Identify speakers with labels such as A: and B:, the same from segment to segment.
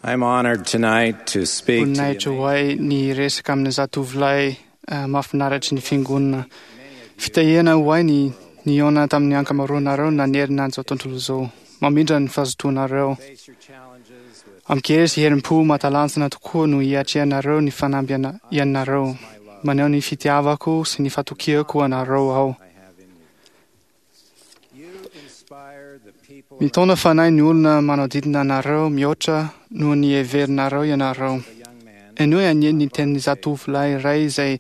A: I'm honored tonight to speak to
B: Voninahitra
A: the
B: ho ahy ny resaka amin'ny zatovolahy mahafinaritry ny fiangonana. Fitahiana ho ahy ny nihaona tamin'ny ankamaroanareo nanerana an'izao tontolo izao. Mamindra ny fahazotoanareo.
A: face your challenges with
B: Amin-kery sy herim-po mahatalanjona tokoa no hiatrehanareo ny fanamby ianareo. Maneho ny fitiavako sy ny fatokiako anareo aho.
A: I have in you. You inspire the people
B: Mitaona fanahy ny olona manodidina anareo mihoatra noho ny heverinareo ianareo.
A: around the young man
B: Henoy anie ny tenin'ny zatovolahy iray izay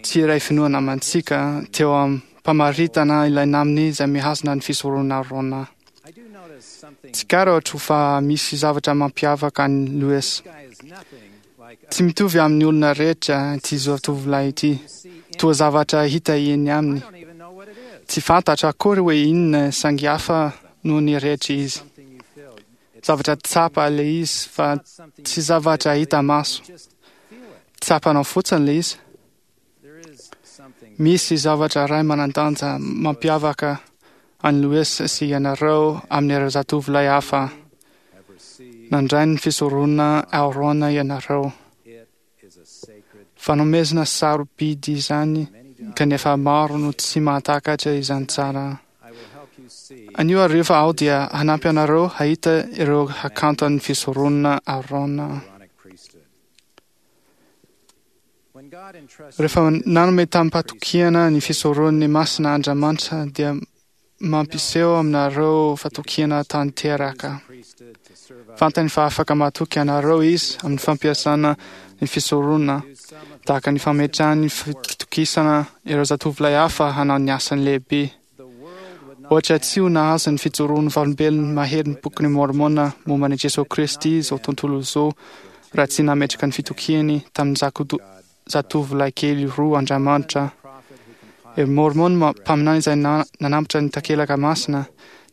B: tsy iray finoana amantsika teo am-pamaritana ilay namany izay mihazona ny fisoronana Aarona.
A: I do notice something.
B: Tsikaritra fa misy zavatra mampiavaka an'i Louis.
A: This guy is nothing like
B: Tsy mitovy amin'ny olona rehetra ity zatovolahy ity.
A: you see in
B: Toa zavatra hita eny
A: I
B: aminy.
A: don't even know what it is.
B: Tsy fantatra akory hoe inona saingy hafa noho ny rehetra izy.
A: Something you feel. It's
B: Zavatra tsapa ilay izy fa
A: not something
B: tsy
A: you
B: zavatra
A: physically,
B: hita maso.
A: you just feel it.
B: Tsapanao fotsiny ilay izy.
A: There is something
B: Misy zavatra iray manan-danja mampiavaka an'i Louis sy ianareo amin'ireo zatovolahy hafa.
A: have received.
B: Nandray ny fisoronana Aarona ianareo.
A: It is a sacred
B: Fanomezana sarobidy izany
A: many do not
B: kanefa maro no tsy mahatakatra izany tsara.
A: I will help you see
B: Anio hariva aho dia hanampy anareo hahita ireo hakanton'ny fisoronana Aarona.
A: Aaronic priesthood. When God entrusted
B: Rehefa
A: you with
B: nanome
A: the
B: tamim-patokiana ny fisoron'ny masina Andriamanitra dia mampiseho aminareo fatokiana tanteraka.
A: priesthood to serve others,
B: Fantany fa afaka matoky anareo izy amin'ny fampiasana ny fisoronana
A: do some of the
B: tahaka ny fametrahany fitokisana ireo zatovolahy hafa hanao ny asany lehibe.
A: the world would not
B: Ohatra tsy ho nahazo ny fijoroan'ny vavolombelona maherin'ny bokin'ny Mormona momba an'i Jesoa Kristy izao tontolo izao raha tsy nametraka ny fitokiany tamin'ny zatovolahy kely roa Andriamanitra.
A: prophet who compiled
B: I Mormon mpaminany izay nanambotra ny takelaka masina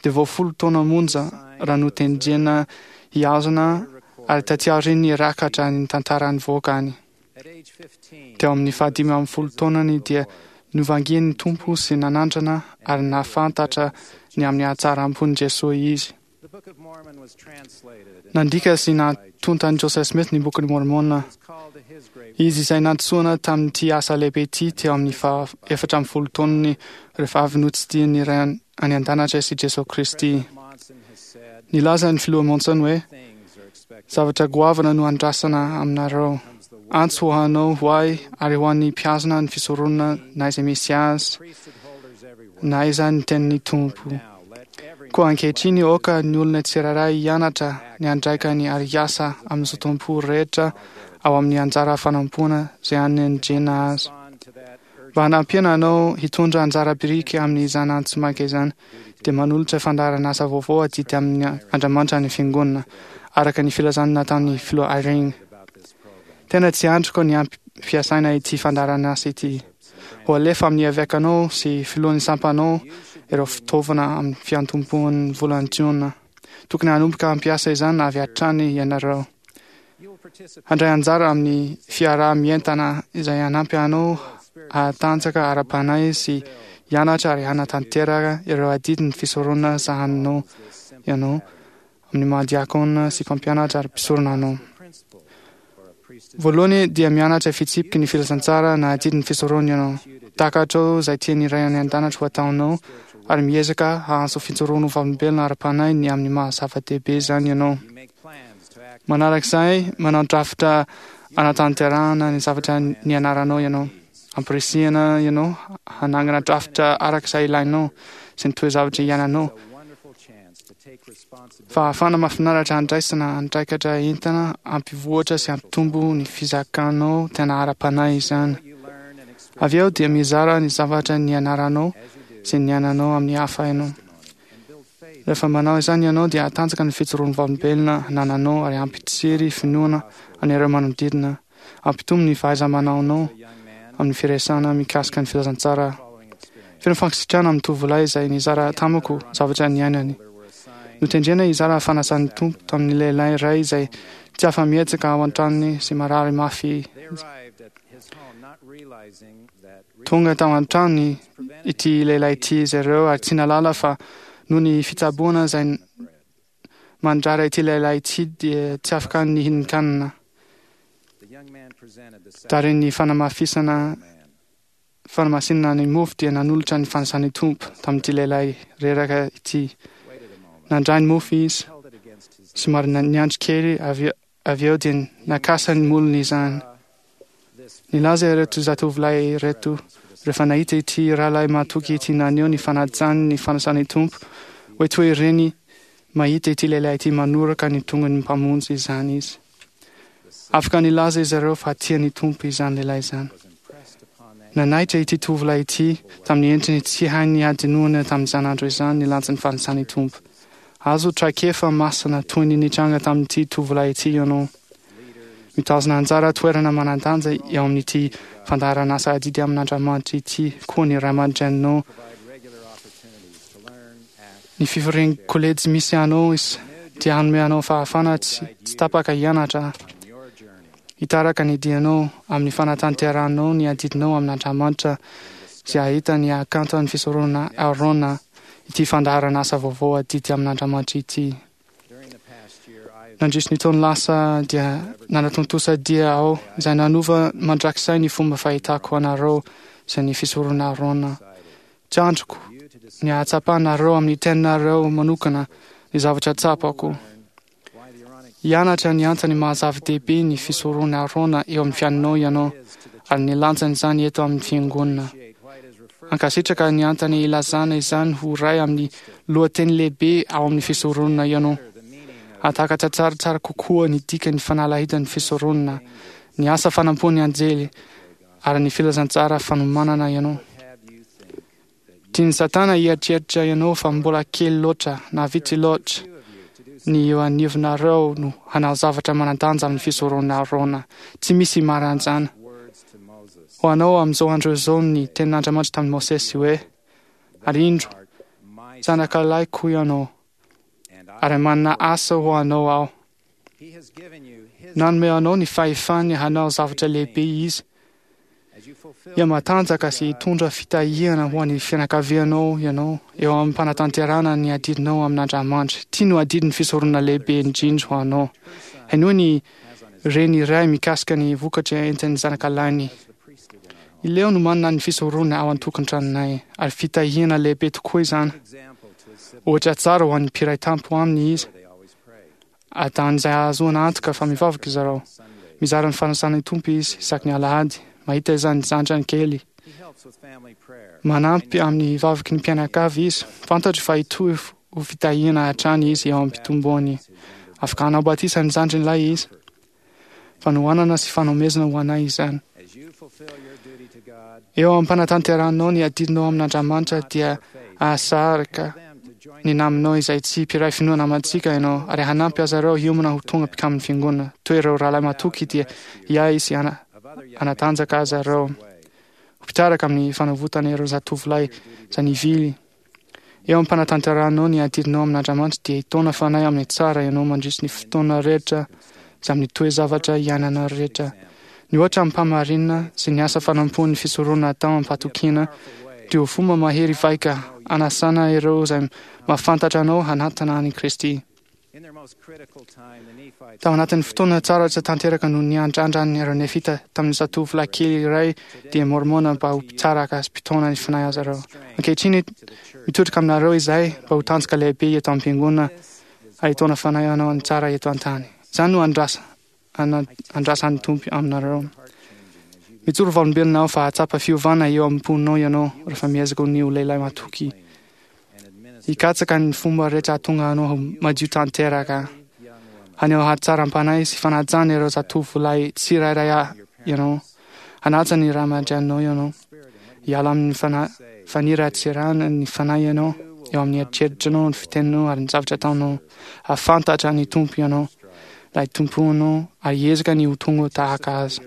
B: dia vao 10 taona monja raha notendrena hihazona ary taty aoriany rakatra ny tantarany voakany.
A: at age 15
B: Teo amin'ny faha-15 taonany dia novangian'ny Tompo sy nanandrana ary nahafantatra ny amin'ny hatsaram-pon'i Jesoa izy.
A: the Book of Mormon was translated and
B: Nandika sy natontan'i Joseph Smith ny bokin'i Mormona.
A: was called to his great
B: Izy izay nantsoina tamin'ity asa lehibe ity teo amin'ny faha-14 taonany rehefa avy notsidihin'ny Ray any an-danitra sy Jesoa Kristy.
A: President Monson has said
B: Nilaza ny filoha Monson hoe
A: things are expected
B: zavatra goavana no andrasana aminareo.
A: comes the word
B: Antso ho anao ho ahy ary ho an'ny mpihazona ny fisoronana na izay misy azy
A: priesthood holders everywhere
B: na aiza ny tenin'ny Tompo.
A: now let every
B: Koa ankehitriny aoka ny olona tsirairay hianatra ny andraikany ary hiasa amin'ny zotom-po rehetra ao amin'ny anjara fanampoana izay anendrena azy.
A: respond to that urgent
B: Mba hanampiana anao hitondra anjara biriky amin'izany antso maika izany dia manolotra fandaharan'asa vaovao adidy amin'ny Andriamanitra ny fiangonana araka ny filazana nataon'ny filoha Irene.
A: about this program.
B: Tena tsy andriko ny hampiasaina ity fandaharan'asa ity. Ho alefa amin'ny evekanao sy filohan'ny sampanao ireo fitaovana amin'ny fiantombohan'ny volana Jiona. Tokony hanomboka hampiasa izany avy hatrany ianareo.
A: You will participate
B: Handray anjara amin'ny fiaraha-mientana izay hanampy anao hahatanjaka ara-panahy sy hianatra ary hanatanteraka ireo adidin'ny fisoronana sahaninao
A: this simple
B: ianao amin'ny maha diakona sy mpampianatra ary mpisorona anao.
A: principle for a priesthood
B: Voalohany dia mianatra fitsipiky ny filazantsara na adidin'ny fisoronana ianao. Takatrao izay tian'ny Ray any an-danitra ho ataonao ary miezaka hahazo fijoroana ho vavolombelona ara-panahy ny amin'ny maha zava-dehibe izany ianao.
A: you make plans to act
B: Manarak'izay, manao drafitra anatanterahana ny zavatra nianaranao ianao. Ampirisihana ianao hanangana drafitra araka izay ilainao sy ny toe-zavatra iainanao.
A: a wonderful chance to take responsibility
B: Fahafahana mahafinaritra handraisana andraikitra entana hampivoatra sy hampitombo ny fizakanao tena ara-panahy izany.
A: what you learn and experience
B: Avy eo dia mizara ny zavatra nianaranao
A: as you do
B: sy niainanao amin'ny hafa ianao.
A: and build faith
B: Rehefa manao izany ianao dia hatanjaka ny fijoroan'ny vavolombelona anananao ary hampitsiry finoana an'ireo manodidina. Hampitombo ny fahaiza-manaonao
A: the young man
B: amin'ny firesahana mikasika ny filazantsara.
A: following experience
B: Feno fankasitrahana amin'ny tovolahy izay nizara tamiko zavatra niainany.
A: there were assigned
B: Notendrena hizara fanasan'ny Tompo tamin'ny lehilahy iray izay tsy afa-mihetsika ao an-tranony sy marary mafy.
A: they arrived at his home not realizing that
B: Tonga tao an-tranony
A: prevented
B: ity lehilahy ity izy ireo ary tsy nahalala fa noho ny fitsaboana izay
A: bread.
B: Mandrara ity lehilahy ity dia tsy afaka nihinan-kanina. Taorian'ny fanamafisana fanamasinana ny mofo dia nanolotra ny fanasan'ny Tompo tamin'ity lehilahy reraka ity. Nandray ny mofo izy, somary niandry kely avy avy eo dia nakasa ny molony izany. Nilaza ireto zatovolahy ireto rehefa nahita ity rahalahy mahatoky ity naneho ny fanajany ny fanasan'ny Tompo hoe toy ireny mahita ity lehilahy ity manoraka ny tongony Mpamonjy izany izy. Afaka nilaza izy ireo fa tia ny Tompo izany lehilahy izany. Nanaitra ity tovolahy ity tamin'ny endriny tsy hainy hadinoana tamin'izany andro izany ny lanjan'ny fanasan'ny Tompo. Azo traikefa masina toy ny nitranga tamin'ity tovolahy ity ianao. Mitazona anjara toerana manan-danja eo amin'ity fandaharan'asa adidy amin'Andriamanitra ity koa ny ray aman-dreninao. Ny fivorian'ny kolejy misy anao dia hanome anao fahafahana tsy tapaka hianatra, hitaraka ny dianao amin'ny fanatanterahanao ny adidinao amin'Andriamanitra sy hahita ny hakanton'ny fisoronana Aarona ity fandaharan'asa vaovao adidy amin'Andriamanitra ity. Nandritry ny taona lasa dia nanatontosa dia aho izay nanova mandrakizay ny fomba fahitako anareo sy ny fisoronana Aarona. Tsy andriko ny hahatsapanareo amin'ny teninareo manokana ny zavatra tsapako. Hianatra ny antony maha-zava-dehibe ny fisoronana Aarona eo amin'ny fiainanao ianao ary ny lanjan'izany eto amin'ny fiangonana. Hankasitraka ny antony ilazana izany ho iray amin'ny lohateny lehibe ao amin'ny fisoronana ianao. Hahatakatra tsaratsara kokoa ny dikan'ny fanalahidan'ny fisoronana, ny asa fanampoan'ny anjely, ary ny filazantsara fanomanana ianao. Tian'i Satana hieritreritra ianao fa mbola kely loatra na vitsy loatra ny eo anivonareo no hanao zavatra manan-danja amin'ny fisoronana Arona. Tsy misy maranjana. Ho anao amin'izao andro izao ny tenin'Andriamanitra tamin'i Mosesy hoe, Ary indro, zanakalahiko ianao, ary manana asa ho anao aho. Nanome anao ny fahefany hanao zavatra lehibe Izy. Hihamatanjaka sy hitondra fitahiana ho an'ny fianakavianao ianao eo am-panatanterahana ny adidinao amin'Andriamanitra. Ity no adidin'ny fisoronana lehibe indrindra ho anao. Henoy ny reny iray mikasika ny vokatra entin'ny zanakalahiny. I Leo no manana ny fisoronana ao an-tokantranonay, ary fitahiana lehibe tokoa izany. Ohatra tsara ho an'ny mpiray tampo aminy izy. Ataony izay hahazoana antoka fa mivavaka izy ireo. Mizara ny fanasan'ny Tompo izy isaky ny alahady. Mahita izany zandrany kely. Manampy amin'ny vavaky ny mpianakavy izy. Fantatro fa hitohy ho fitahiana hatrany izy eo am-pitomboany. Afaka hanao batisa ny zandriny lahy izy. Fanohanana sy fanomezana ho anay izany. Eo am-panatanterahanao ny adidinao amin'Andriamanitra dia hahasarika ny namanao izay tsy mpiray finoana amantsika ianao ary hanampy azy ireo hiomana ho tonga mpikamin'ny fiangonana. Toy ireo rahalahy matoky dia hiahy sy hanatanjaka azy ireo ho mpitaraka amin'ny fanavotana ireo zatovolahy izay nivily. Eo am-panatanterahanao ny adidinao amin'Andriamanitra dia hitaona fanahy amin'ny tsara ianao mandritry ny fotoana rehetra sy amin'ny toe-javatra iainana rehetra. Ny ohatra amim-pahamarinana sy ny asa fanompoan'ny fisoronana atao amim-pahatokiana dia ho fomba mahery vaika hanasana ireo izay mahafantatra anao hanatona an'i Kristy. Tao anatin'ny fotoana tsara tsy tanteraka no niandrandran'ny ireo Nefita tamin'ny zatovolahy kely iray dia Môrmôna mba ho mpitsaraka sy mpitaona ny fanahy azy ireo. Ankehitriny, mitodika aminareo izahay mba ho tanjaka lehibe eto am-piangonana ary hitaona fanahy hanao ny tsara eto an-tany. Izany no andrasa, andrasan'ny Tompo aminareo. Mijoro vavolombelona aho fa hahatsapa fiovana eo am-ponao ianao rehefa miezaka ny ho lehilahy matoky. Hikatsaka ny fomba rehetra hahatonga anao ho madio tanteraka. Haneho hatsaram-panahy sy fanajana ireo zatovolahy tsirairay ianao. Hanaja ny ray aman-dreninao ianao. Hiala amin'ny faniratsirana ny fanahy ianao, eo amin'ny eritreritranao, ny fiteninao ary ny zavatra ataonao. Hahafantatra ny Tompo ianao, ilay Tomponao, ary hiezaka ny ho tonga tahaka Azy.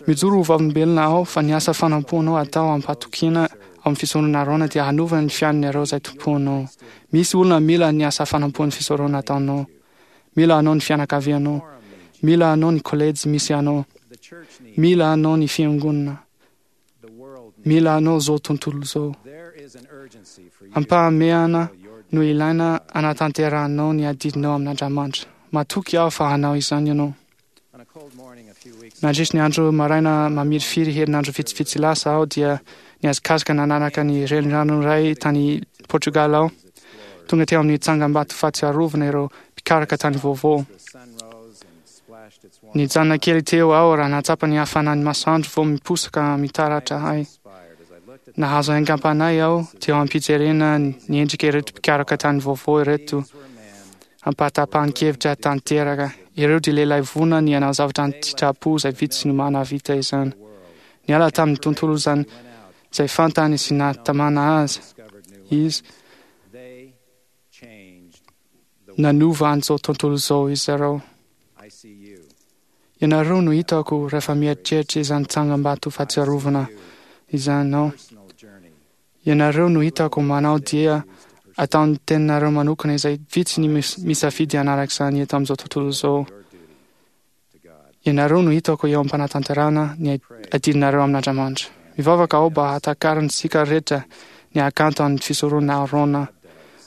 B: Mijoro ho vavolombelona aho fa ny asa fanompoanao atao am-pahatokiana ao amin'ny fisoronana Arona dia hanova ny fiainan'ireo izay tompoinao. Misy olona mila ny asa fanompoan'ny fisoronana ataonao. Mila anao ny fianakavianao. Mila anao ny kolejy misy anao. Mila anao ny fiangonana. Mila anao izao tontolo izao. Ampahamehana no ilaina hanatanterahanao ny adidinao amin'Andriamanitra. Matoky aho fa hanao izany ianao. Nandritry ny andro maraina mamirifiry herinandro vitsivitsy lasa aho dia nihazakazaka nanaraka ny renirano iray tany Portugal aho. Tonga teo amin'ny tsangambato fahatsiarovana ireo mpikaraka tany vaovao. Nijanona kely teo aho raha nahatsapa ny hafanan'ny masoandro vao miposaka mitaratra ahy. Nahazo aingam-panahy aho teo am-pijerena ny endrika ireto mpikaroka tany vaovao ireto ampahatapahan-kevitra tanteraka. Ireo dia lehilahy vonona ny hanao zavatra an-tsitrapo izay vitsy no mahavita izany. Niala tamin'ny tontolo izany izay fantany sy nahatamana azy izy. Nanova an'izao tontolo izao izy ireo. Ianareo no hitako rehefa mieritreritra izany tsangambato fahatsiarovana izany aho. Ianareo no hitako manao dia ataon'ny teninareo manokana izay vitsy ny misafidy hanaraka izany eto amin'izao tontolo izao. Ianareo no hitako eo am-panatanterahana ny adidinareo amin'Andriamanitra. Mivavaka aho mba hahatakarantsika rehetra ny hakanto an'ny fisoronana Aharôna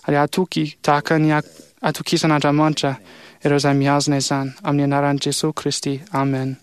B: ary hatoky tahaka ny hatokisan'Andriamanitra ireo izay mihazona izany. Amin'ny anaran'i Jesoa Kristy, amen.